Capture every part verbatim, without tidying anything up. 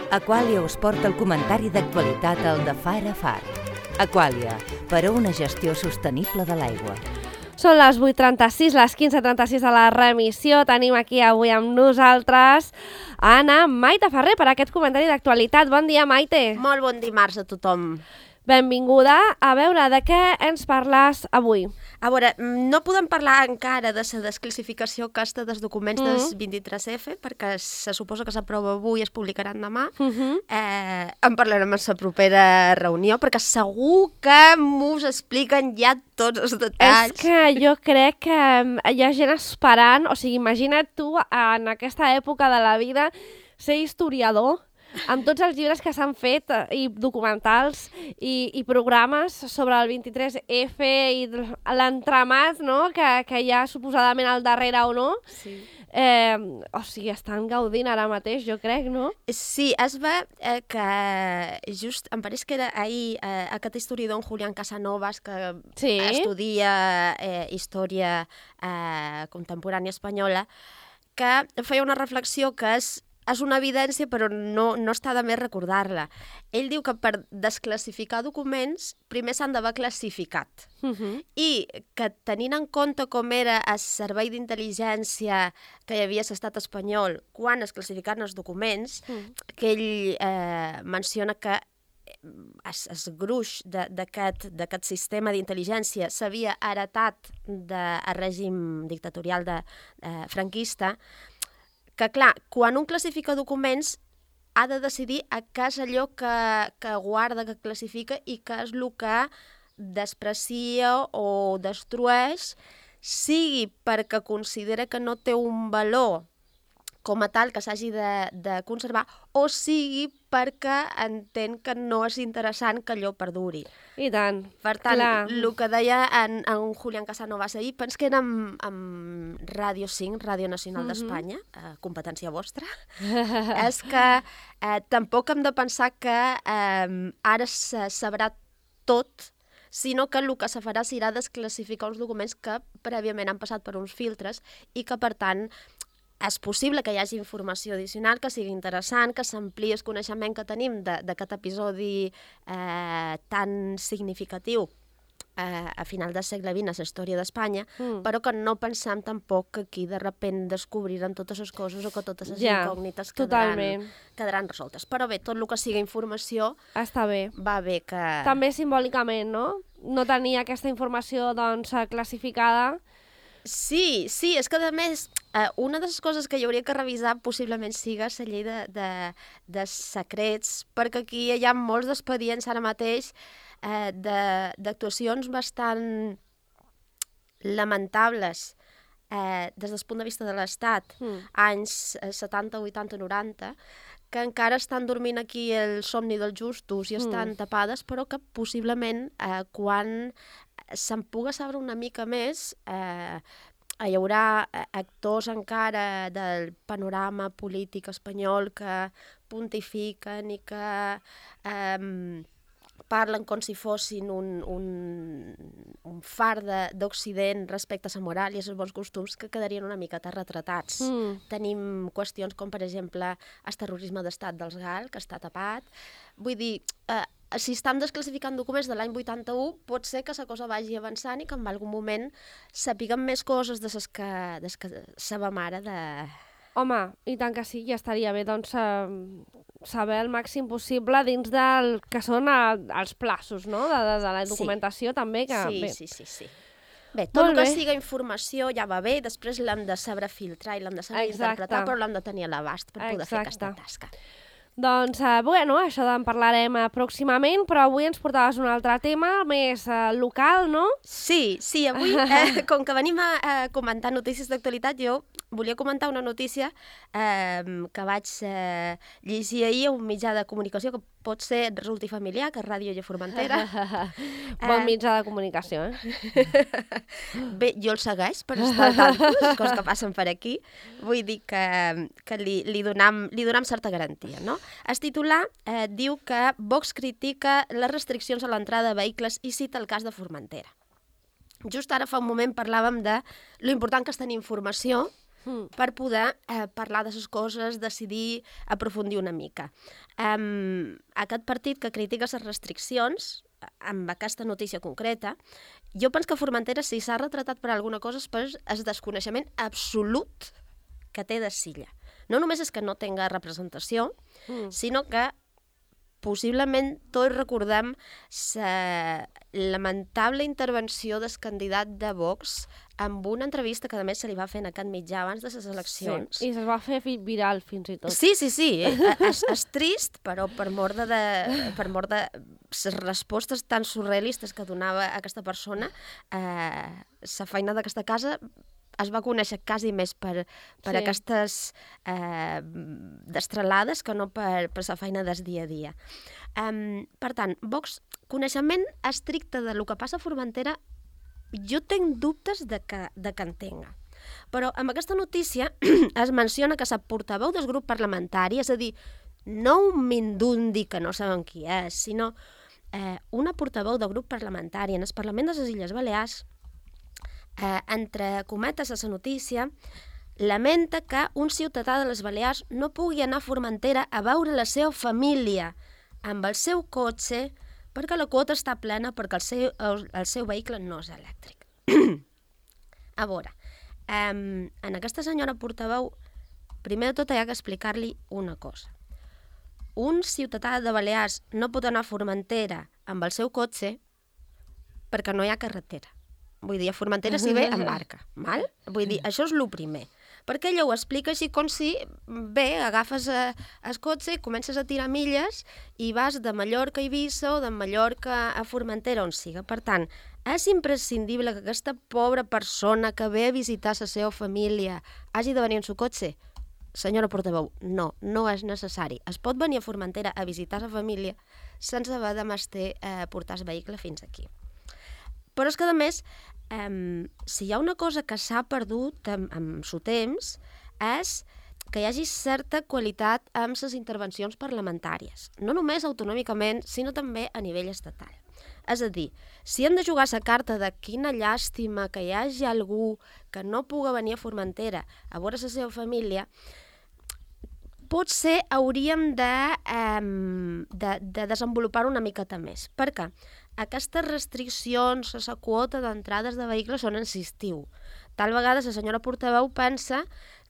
Aquàlia us porta el comentari d'actualitat al de Far a Far. Aquàlia, per a una gestió sostenible de l'aigua. Són les vuit trenta-sis, les quinze trenta-sis de la remissió. Tenim aquí avui amb nosaltres Anna Maite Ferrer per aquest comentari d'actualitat. Bon dia, Maite. Molt bon dimarts a tothom. Benvinguda. A veure, de què ens parles avui? A veure, no podem parlar encara de la desclassificació aquesta dels documents mm. del vint-i-tres efa, perquè se suposa que s'aprova avui i es publicaran demà. Mm -hmm. eh, en parlarem en la propera reunió, perquè segur que m'us expliquen ja tots els detalls. És que jo crec que hi ha gent esperant, o sigui, imagina't tu en aquesta època de la vida ser historiador, amb tots els llibres que s'han fet i documentals i, i programes sobre el vint-i-tres efa i l'entramat, no?, que, que hi ha suposadament al darrere o no. Sí. Eh, o sigui, estan gaudint ara mateix, jo crec, no? Sí, es va eh, que just, em pareix que era ahir eh, aquest historiador, en Julián Casanovas, que sí. estudia eh, història eh, contemporània espanyola, que feia una reflexió que és És una evidència, però no, no està de més recordar-la. Ell diu que per desclassificar documents primer s'han d'haver classificat. Uh -huh. I que tenint en compte com era el servei d'intel·ligència que hi havia a l'estat espanyol quan es classificaven els documents, uh -huh. que ell eh, menciona que el gruix d'aquest sistema d'intel·ligència s'havia heretat del règim dictatorial de, eh, franquista, que, clar, quan un classifica documents ha de decidir a què és allò que, que guarda, que classifica i què és el que desprecia o destrueix, sigui perquè considera que no té un valor com a tal que s'hagi de, de conservar, o sigui perquè entén que no és interessant que allò perduri. I tant. Per tant, clar. el que deia en, en Julián Casanovas ahir, penso que era amb, amb Ràdio cinc, Ràdio Nacional mm -hmm. d'Espanya, eh, competència vostra, és que eh, tampoc hem de pensar que eh, ara se sabrà tot, sinó que el que se farà serà desclassificar uns documents que prèviament han passat per uns filtres i que, per tant, és possible que hi hagi informació addicional que sigui interessant, que s'ampliï el coneixement que tenim d'aquest episodi eh, tan significatiu eh, a final del segle vint a la història d'Espanya, mm. però que no pensem tampoc que aquí de repent descobriran totes les coses o que totes les ja, incògnites quedaran, quedaran resoltes. Però bé, tot el que sigui informació està bé. Va bé que... També simbòlicament, no? No tenir aquesta informació doncs, classificada. Sí, sí, és que a més, eh, una de les coses que hi hauria que revisar possiblement siga la llei de, de, de secrets, perquè aquí hi ha molts d'expedients ara mateix eh, d'actuacions bastant lamentables eh, des del punt de vista de l'Estat, mm. anys setanta, vuitanta, noranta, que encara estan dormint aquí el somni dels justos i estan mm. tapades, però que possiblement eh, quan se'n puga saber una mica més, eh, hi haurà actors encara del panorama polític espanyol que pontifiquen i que eh, parlen com si fossin un, un, un far d'Occident respecte a la moral i als bons costums que quedarien una miqueta retratats. Mm. Tenim qüestions com, per exemple, el terrorisme d'estat dels GAL, que està tapat. Vull dir, eh, si estan desclassificant documents de l'any vuitanta-u, pot ser que la cosa vagi avançant i que en algun moment sapiguem més coses de les que, des que sabem ara de... Home, i tant que sí, ja estaria bé, doncs, eh, saber el màxim possible dins del que són eh, els plaços, no?, de, de, de la documentació, sí. també, que... Sí, bé. sí, sí, sí. Bé, tot Molt el que bé. siga informació ja va bé, després l'hem de saber filtrar i l'hem de saber Exacte. interpretar, però l'hem de tenir a l'abast per poder Exacte. fer aquesta tasca. Doncs, eh, bueno, això en parlarem eh, pròximament, però avui ens portaves un altre tema més eh, local, no? Sí, sí, avui, eh, com que venim a, a comentar notícies d'actualitat, jo volia comentar una notícia eh, que vaig eh, llegir ahir a un mitjà de comunicació que pot ser resulti familiar, que és Ràdio de Formentera. Bon mitjà de comunicació, eh? Bé, jo el segueix per estar tantes coses que passen per aquí. Vull dir que, que li, li, donam, li donam certa garantia, no? El titular eh, diu que Vox critica les restriccions a l'entrada de vehicles i cita el cas de Formentera. Just ara fa un moment parlàvem de lo important que és tenir informació mm. per poder eh, parlar de les coses, decidir, aprofundir una mica. Um, aquest partit que critica les restriccions, amb aquesta notícia concreta, jo penso que Formentera, si s'ha retratat per alguna cosa, és per el desconeixement absolut que té de Silla. No només és que no tenga representació, mm. sinó que possiblement tots recordem la lamentable intervenció del candidat de Vox amb una entrevista que a més se li va fer en aquest mitjà abans de les eleccions. Sí, i es va fer viral fins i tot. Sí, sí, sí. és, és trist, però per mort de, de, per mort de les respostes tan surrealistes que donava aquesta persona, eh, la feina d'aquesta casa es va conèixer quasi més per, per sí. aquestes eh, destralades que no per, per la feina del dia a dia. Um, per tant, Vox, coneixement estricte de lo que passa a Formentera, jo tinc dubtes de que, de que entenga. Però amb aquesta notícia es menciona que la portaveu del grup parlamentari, és a dir, no un mindundi que no sabem qui és, sinó eh, una portaveu del grup parlamentari en el Parlament de les Illes Balears, Eh, entre cometes a la notícia, lamenta que un ciutadà de les Balears no pugui anar a Formentera a veure la seva família amb el seu cotxe perquè la quota està plena, perquè el seu, el, el seu vehicle no és elèctric. A veure, eh, en aquesta senyora portaveu, primer de tot hi ha que explicar-li una cosa. Un ciutadà de Balears no pot anar a Formentera amb el seu cotxe perquè no hi ha carretera. Vull dir, a Formentera s'hi ve en barca, val? Vull dir, això és el primer. Perquè ella ho explica així com si, bé, agafes eh, el cotxe i comences a tirar milles i vas de Mallorca a Eivissa o de Mallorca a Formentera, on siga. Per tant, és imprescindible que aquesta pobra persona que ve a visitar la seva família hagi de venir en su cotxe? Senyora portaveu, no, no és necessari. Es pot venir a Formentera a visitar la família sense haver de mestre eh, portar el vehicle fins aquí. Però és que, a més, eh, si hi ha una cosa que s'ha perdut amb, amb el temps, és que hi hagi certa qualitat amb les intervencions parlamentàries. No només autonòmicament, sinó també a nivell estatal. És a dir, si hem de jugar la carta de quina llàstima que hi hagi algú que no pugui venir a Formentera a veure la seva família, potser hauríem de, eh, de, de desenvolupar una miqueta més. Per què? Aquestes restriccions a la quota d'entrades de vehicles són en l'estiu. Tal vegada la senyora portaveu pensa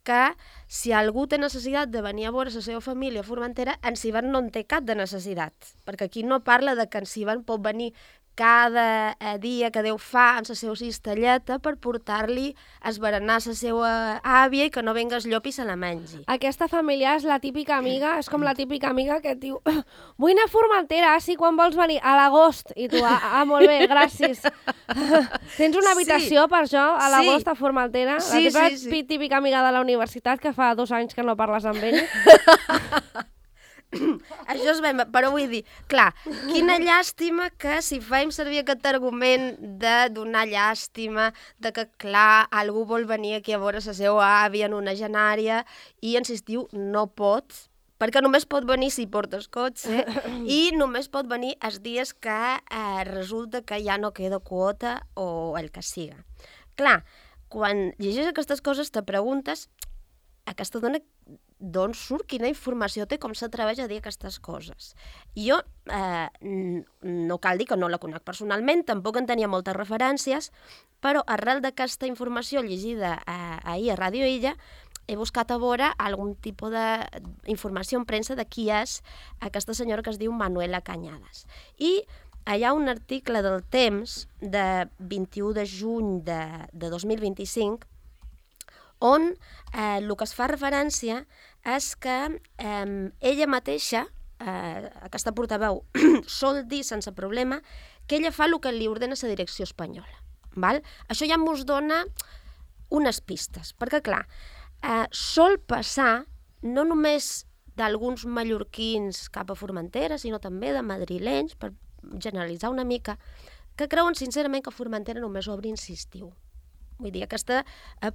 que si algú té necessitat de venir a veure la seva família a Formentera, en Sivan no en té cap de necessitat, perquè aquí no parla de que en Sivan pot venir cada dia que Déu fa amb la seva cistelleta per portar-li a esberenar la seva àvia i que no venga el llop i se la mengi. Aquesta família és la típica amiga, és com la típica amiga que et diu vull anar a Formentera, sí, quan vols venir? A l'agost. I tu, ah, ah molt bé, gràcies. Tens una habitació sí. per això, a l'agost sí. a Formentera? Sí, la sí, sí. típica amiga de la universitat que fa dos anys que no parles amb ell. Això és ben... Però vull dir, clar, quina llàstima que si fem servir aquest argument de donar llàstima, de que, clar, algú vol venir aquí a veure la seva àvia en una genària i en l'estiu no pot, perquè només pot venir si portes cotxe i només pot venir els dies que eh, resulta que ja no queda quota o el que siga. Clar, quan llegeixes aquestes coses te preguntes aquesta dona d'on surt, quina informació té, com s'atreveix a dir aquestes coses. Jo eh, no cal dir que no la conec personalment, tampoc en tenia moltes referències, però arrel d'aquesta informació llegida eh, ahir a Ràdio Illa, he buscat a veure algun tipus d'informació en premsa de qui és aquesta senyora que es diu Manuela Cañadas. I hi ha un article del Temps de vint-i-u de juny de, de dos mil vint-i-cinc on eh, el que es fa referència és que eh, ella mateixa, eh, aquesta portaveu, sol dir sense problema que ella fa el que li ordena la direcció espanyola. Val? Això ja ens dona unes pistes, perquè clar, eh, sol passar no només d'alguns mallorquins cap a Formentera, sinó també de madrilenys, per generalitzar una mica, que creuen sincerament que Formentera només obre en l'estiu. Vull dir, aquesta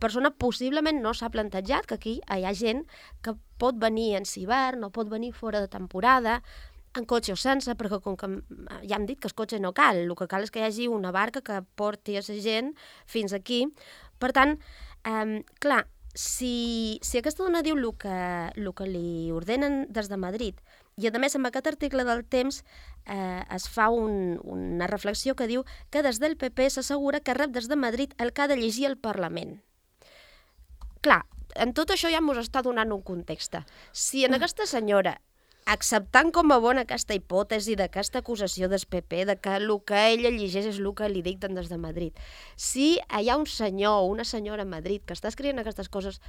persona possiblement no s'ha plantejat que aquí hi ha gent que pot venir en hivern o pot venir fora de temporada, en cotxe o sense, perquè com que ja hem dit que el cotxe no cal, el que cal és que hi hagi una barca que porti a la gent fins aquí. Per tant, eh, clar, si, si aquesta dona diu el que, el que li ordenen des de Madrid, i a més amb aquest article del Temps eh, es fa un, una reflexió que diu que des del P P s'assegura que rep des de Madrid el que ha de llegir el Parlament. Clar, en tot això ja ens està donant un context. Si en aquesta senyora, acceptant com a bona aquesta hipòtesi d'aquesta acusació del P P, de que el que ella llegeix és el que li dicten des de Madrid, si hi ha un senyor o una senyora a Madrid que està escrivint aquestes coses,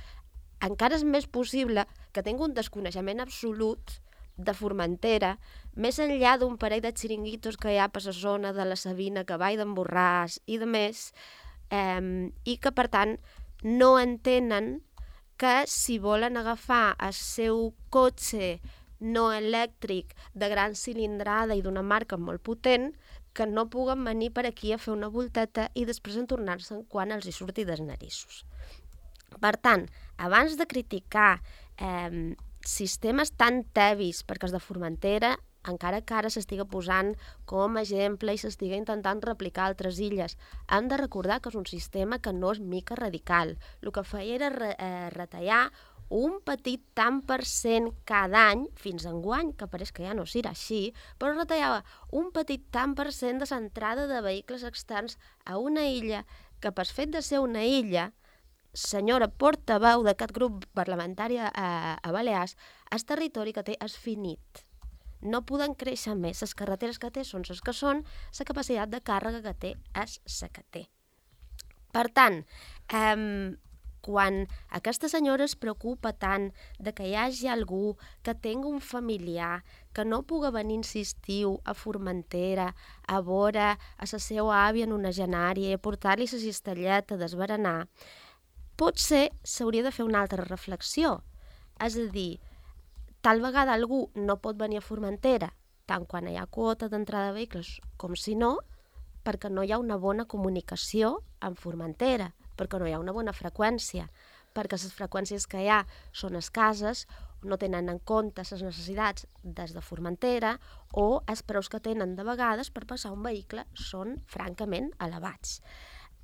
encara és més possible que tingui un desconeixement absolut de Formentera, més enllà d'un parell de xiringuitos que hi ha per la zona de la Sabina, que va d'en Borràs i de més, eh, i que, per tant, no entenen que si volen agafar el seu cotxe no elèctric de gran cilindrada i d'una marca molt potent, que no puguen venir per aquí a fer una volteta i després en tornar-se'n quan els hi surti dels narissos. Per tant, abans de criticar eh, sistemes tan tevis, perquè els de Formentera, encara que ara s'estiga posant com a exemple i s'estiga intentant replicar altres illes, hem de recordar que és un sistema que no és mica radical. El que feia era re, eh, retallar un petit tant per cent cada any, fins enguany, que pareix que ja no serà així, però retallava un petit tant per cent de l'entrada de vehicles externs a una illa que, per fet de ser una illa, senyora portaveu d'aquest grup parlamentari a, a Balears, el territori que té és finit. No poden créixer més. Les carreteres que té són les que són, la capacitat de càrrega que té és la que té. Per tant, eh, quan aquesta senyora es preocupa tant de que hi hagi algú que tingui un familiar que no pugui venir en estiu a Formentera a veure a la seva àvia en una genària i portar-li la cistelleta d'esberenar, potser s'hauria de fer una altra reflexió. És a dir, tal vegada algú no pot venir a Formentera, tant quan hi ha quota d'entrada de vehicles com si no, perquè no hi ha una bona comunicació amb Formentera, perquè no hi ha una bona freqüència, perquè les freqüències que hi ha són escasses, no tenen en compte les necessitats des de Formentera o els preus que tenen de vegades per passar un vehicle són francament elevats.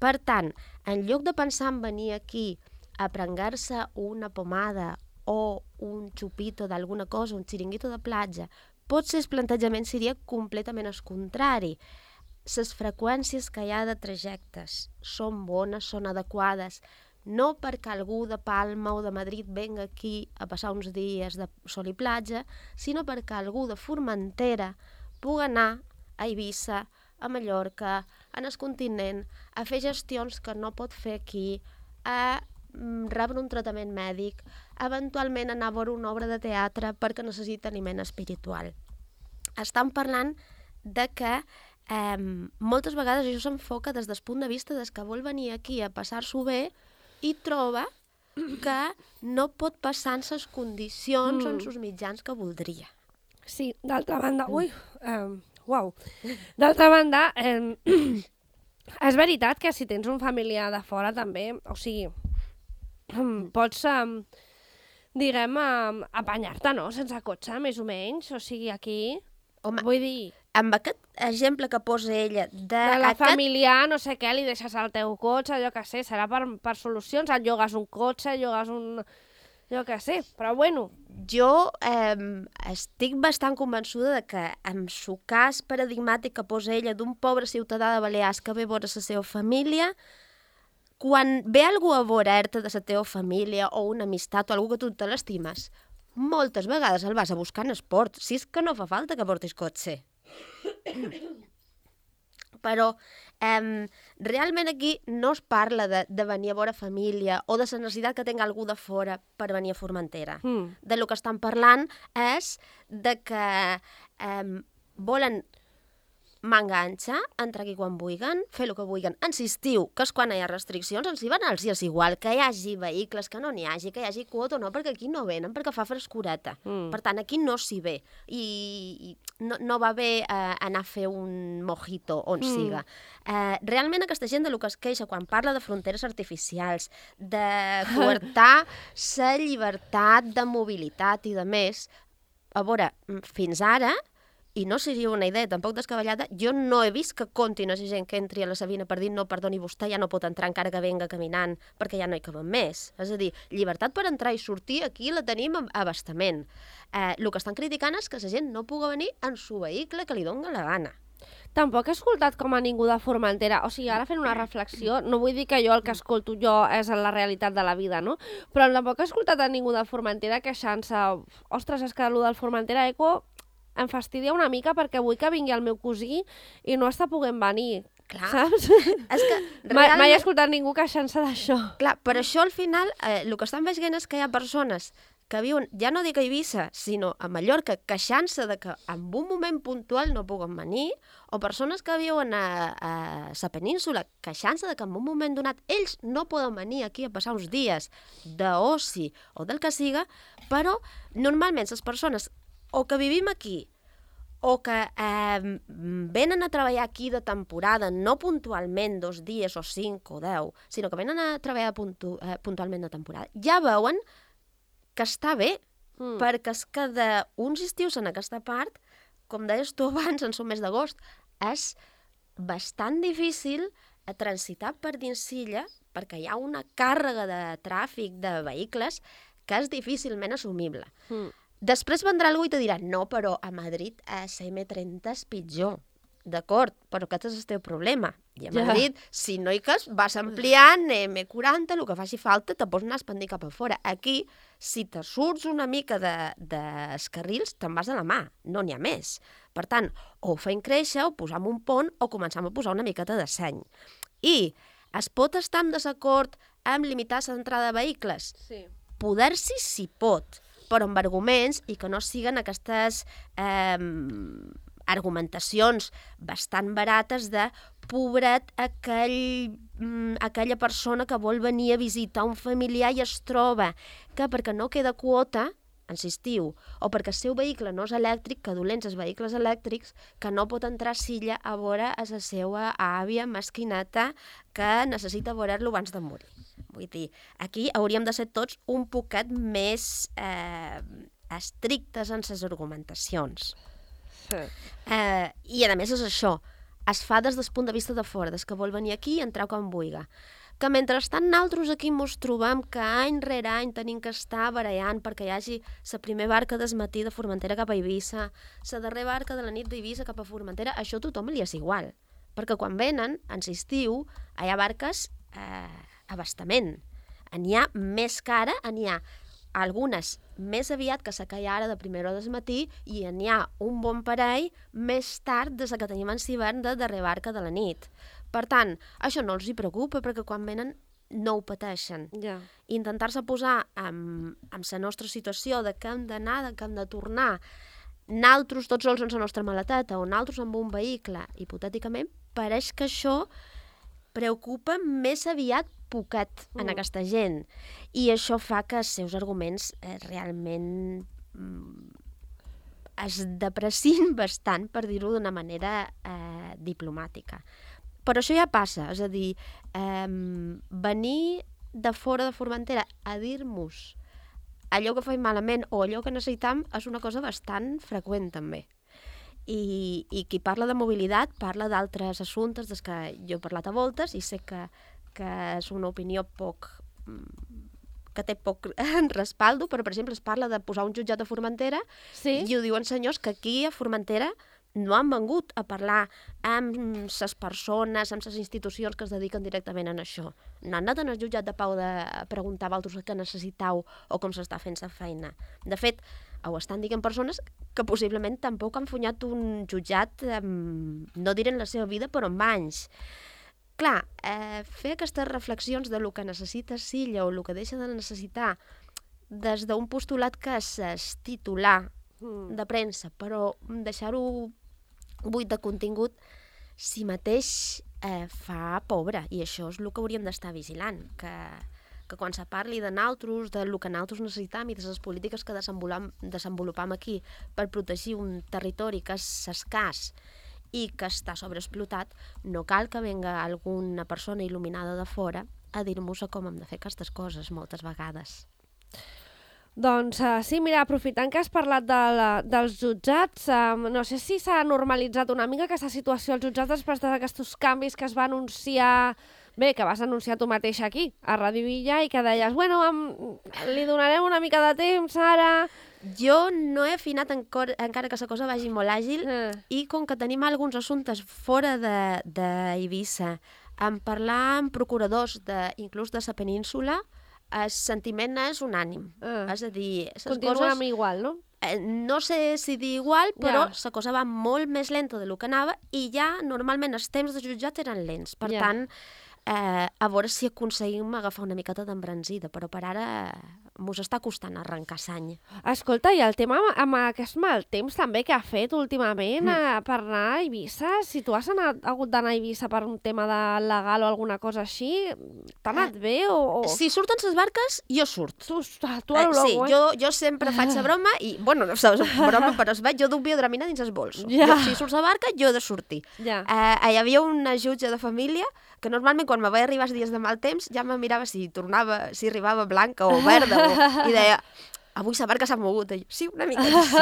Per tant, en lloc de pensar en venir aquí a prengar-se una pomada o un xupito d'alguna cosa, un xiringuito de platja, potser el plantejament seria completament el contrari. Les freqüències que hi ha de trajectes són bones, són adequades, no perquè algú de Palma o de Madrid venga aquí a passar uns dies de sol i platja, sinó perquè algú de Formentera pugui anar a Eivissa, a Mallorca, en el continent, a fer gestions que no pot fer aquí, a rebre un tractament mèdic, eventualment anar a veure una obra de teatre perquè necessita aliment espiritual. Estan parlant de que eh, moltes vegades això s'enfoca des del punt de vista des que vol venir aquí a passar-s'ho bé i troba que no pot passar en les condicions mm. o en els mitjans que voldria. Sí, d'altra banda... Ui, um... Uau. D'altra banda, eh, és veritat que si tens un familiar de fora també, o sigui, pots, eh, diguem, eh, apanyar-te, no?, sense cotxe, més o menys, o sigui, aquí, home, vull dir... Amb aquest exemple que posa ella... De, de la aquest... familiar, no sé què, li deixes el teu cotxe, allò que sé, serà per, per solucions, et llogues un cotxe, llogues un... jo que sé, però bueno. Jo eh, estic bastant convençuda de que en el cas paradigmàtic que posa ella d'un pobre ciutadà de Balears que ve a veure la seva família, quan ve algú a veure-te de la teva família o una amistat o algú que tu te l'estimes, moltes vegades el vas a buscar en esport, si és que no fa falta que portis cotxe. Però eh, realment aquí no es parla de, de venir a veure família o de la necessitat que tingui algú de fora per venir a Formentera. Mm. De lo que estan parlant és de que eh, volen m'enganxa, entrar aquí quan vulguen, fer el que vulguen. En l'estiu, que és quan hi ha restriccions, ens hi van als dies igual, que hi hagi vehicles, que no n'hi hagi, que hi hagi quota o no, perquè aquí no venen, perquè fa frescureta. Mm. Per tant, aquí no s'hi ve. I, i no, no va bé eh, anar a fer un mojito on mm. siga. Eh, realment aquesta gent de lo que es queixa quan parla de fronteres artificials, de coartar la llibertat de mobilitat i de més, a veure, fins ara i no seria una idea tampoc descabellada, jo no he vist que contin a gent que entri a la Sabina per dir no, perdoni, vostè ja no pot entrar encara que venga caminant perquè ja no hi caben més. És a dir, llibertat per entrar i sortir aquí la tenim a bastament. Eh, el que estan criticant és que la gent no pugui venir en su vehicle que li doni la gana. Tampoc he escoltat com a ningú de Formentera, o sigui, ara fent una reflexió, no vull dir que jo el que escolto jo és la realitat de la vida, no? Però tampoc he escoltat a ningú de Formentera queixant-se, ostres, és que el del Formentera Eco em fastidia una mica perquè vull que vingui el meu cosí i no està podent venir, Clar. saps? És que Mai, mai he realment... escoltat ningú queixant-se d'això. Clar, per això al final eh, el que estan veient és que hi ha persones que viuen, ja no dic a Eivissa, sinó a Mallorca, queixant-se de que en un moment puntual no puguen venir, o persones que viuen a, a la península queixant-se de que en un moment donat ells no poden venir aquí a passar uns dies d'oci o del que siga, però normalment les persones o que vivim aquí o que eh, venen a treballar aquí de temporada, no puntualment dos dies o cinc o deu, sinó que venen a treballar puntu eh, puntualment de temporada, ja veuen que està bé, mm. perquè és que d'uns estius en aquesta part, com deies tu abans, en el mes d'agost, és bastant difícil a transitar per dins Silla, perquè hi ha una càrrega de tràfic de vehicles que és difícilment assumible. Mm. Després vendrà algú i te dirà, no, però a Madrid a la eme trenta és pitjor. D'acord, però aquest és el teu problema. I a Madrid, ja. si no hi cas, vas ampliant eme quaranta, el que faci falta, te pots anar a expandir cap a fora. Aquí, si te surts una mica de, dels carrils, te'n vas a la mà, no n'hi ha més. Per tant, o ho feim créixer, o posam un pont, o començam a posar una miqueta de seny. I es pot estar en desacord amb limitar l'entrada de vehicles? Sí. Poder-s'hi s'hi pot, però amb arguments i que no siguen aquestes eh, argumentacions bastant barates de pobret aquell, aquella persona que vol venir a visitar un familiar i es troba que perquè no queda quota, insistiu, o perquè el seu vehicle no és elèctric, que dolents els vehicles elèctrics, que no pot entrar a Silla a veure a la seva àvia mesquineta que necessita veure-lo abans de morir. Vull dir, aquí hauríem de ser tots un poquet més eh, estrictes en les argumentacions. Sí. Eh, I a més és això, es fa des del punt de vista de fora, des que vol venir aquí i entrar quan vulgui. Que mentrestant nosaltres aquí ens trobem que any rere any tenim que estar barallant perquè hi hagi la primera barca del matí de Formentera cap a Eivissa, la darrera barca de la nit d'Eivissa cap a Formentera, això a tothom li és igual. Perquè quan venen, en l'estiu, hi ha barques eh, a bastament. N'hi ha més cara, n'hi ha algunes més aviat que la que hi ha ara de primera hora del matí i n'hi ha un bon parell més tard des que tenim en l'hivern de darrera barca de la nit. Per tant, això no els hi preocupa perquè quan venen no ho pateixen. Ja. Intentar-se posar en, en la nostra situació de que hem d'anar, de que hem de tornar, naltros tots sols en la nostra maleteta o naltros amb un vehicle, hipotèticament, pareix que això preocupa més aviat poquet en mm. aquesta gent. I això fa que els seus arguments eh, realment mm, es depressin bastant, per dir-ho d'una manera eh, diplomàtica. Però això ja passa, és a dir, eh, venir de fora de Formentera a dir-nos allò que fem malament o allò que necessitam és una cosa bastant freqüent també. I, i qui parla de mobilitat parla d'altres assumptes des que jo he parlat a voltes i sé que, que és una opinió poc que té poc respaldo, però per exemple es parla de posar un jutjat a Formentera sí? i ho diuen senyors que aquí a Formentera no han vengut a parlar amb les persones, amb les institucions que es dediquen directament a això. No han anat al jutjat de pau de preguntar a vosaltres què necessitau o com s'està fent la feina. De fet, ho estan dient persones que possiblement tampoc han funyat un jutjat, eh, no diré en la seva vida, però amb anys. Clar, eh, fer aquestes reflexions de lo que necessita Silla o el que deixa de necessitar des d'un postulat que és titular de premsa, però deixar-ho buit de contingut si mateix eh, fa pobre, i això és el que hauríem d'estar vigilant, que, que quan se parli de naltros, de lo que naltros necessitam i de les polítiques que desenvolupam, desenvolupam aquí per protegir un territori que és escàs i que està sobreexplotat, no cal que venga alguna persona il·luminada de fora a dir-nos com hem de fer aquestes coses moltes vegades. Doncs uh, sí, mira, aprofitant que has parlat de la, dels jutjats, um, no sé si s'ha normalitzat una mica aquesta situació als jutjats després d'aquests canvis que es va anunciar, bé, que vas anunciar tu mateix aquí, a Ràdio Villa, i que deies, bueno, um, li donarem una mica de temps ara... Jo no he afinat encor, encara que la cosa vagi molt àgil Eh. i com que tenim alguns assumptes fora d'Eivissa, en parlar amb procuradors de, inclús de la península, el sentiment és unànim. Ah. És a dir, les Continuem coses... igual, no? Eh, no sé si dir igual, però Ja. la cosa va molt més lenta del que anava i ja normalment els temps de jutjat eren lents. Per Ja. tant, eh, a veure si aconseguim agafar una miqueta d'embranzida, però per ara mos està costant arrencar sany. Escolta, i el tema amb, amb aquest mal temps també que ha fet últimament mm. eh, per anar a Eivissa, si tu has anat, hagut d'anar a Eivissa per un tema de legal o alguna cosa així, t'ha anat Eh, bé o...? o... Si surten les barques, jo surt. Tu, tu a Eh, l'Ologo, sí, eh? jo, jo sempre faig la broma i, bueno, no saps, broma, però es veig, jo duc biodramina dins el bolso. Ja. Jo, si surt la barca, jo he de sortir. Ja. Eh, hi havia una jutge de família que normalment quan me vaig arribar els dies de mal temps ja me mirava si tornava, si arribava blanca o verda o, i deia, avui la barca s'ha mogut. I jo, sí, una mica sí.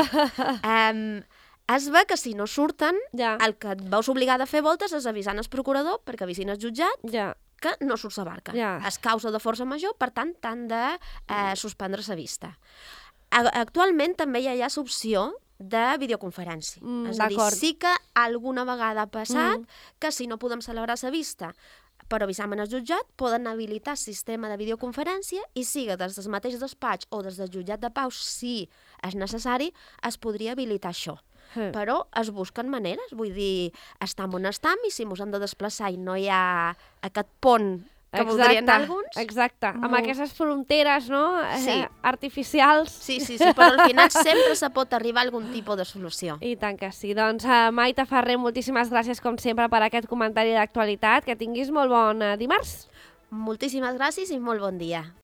um, es ve que si no surten, Ja. el que et veus obligada a fer voltes és avisant el procurador perquè avisin el jutjat Ja. que no surt la barca. Ja. És causa de força major, per tant, t'han de eh, suspendre la vista. A- Actualment també ja hi ha l'opció de videoconferència. Mm, és a dir, d'acord. sí que alguna vegada ha passat Mm. que si no podem celebrar la vista per avisar-me al jutjat, poden habilitar el sistema de videoconferència i siga des del mateix despatx o des del jutjat de pau, si és necessari, es podria habilitar això. Eh. Però es busquen maneres, vull dir, estam on estam i si mos hem de desplaçar i no hi ha aquest pont que voldrien alguns... Exacte, amb Molt. aquestes fronteres, no?, Sí. eh, artificials. Sí, sí, sí, però al final sempre se pot arribar a algun tipus de solució. I tant que sí. Doncs, uh, Maite Ferrer, moltíssimes gràcies, com sempre, per aquest comentari d'actualitat. Que tinguis molt bon uh, dimarts. Moltíssimes gràcies i molt bon dia.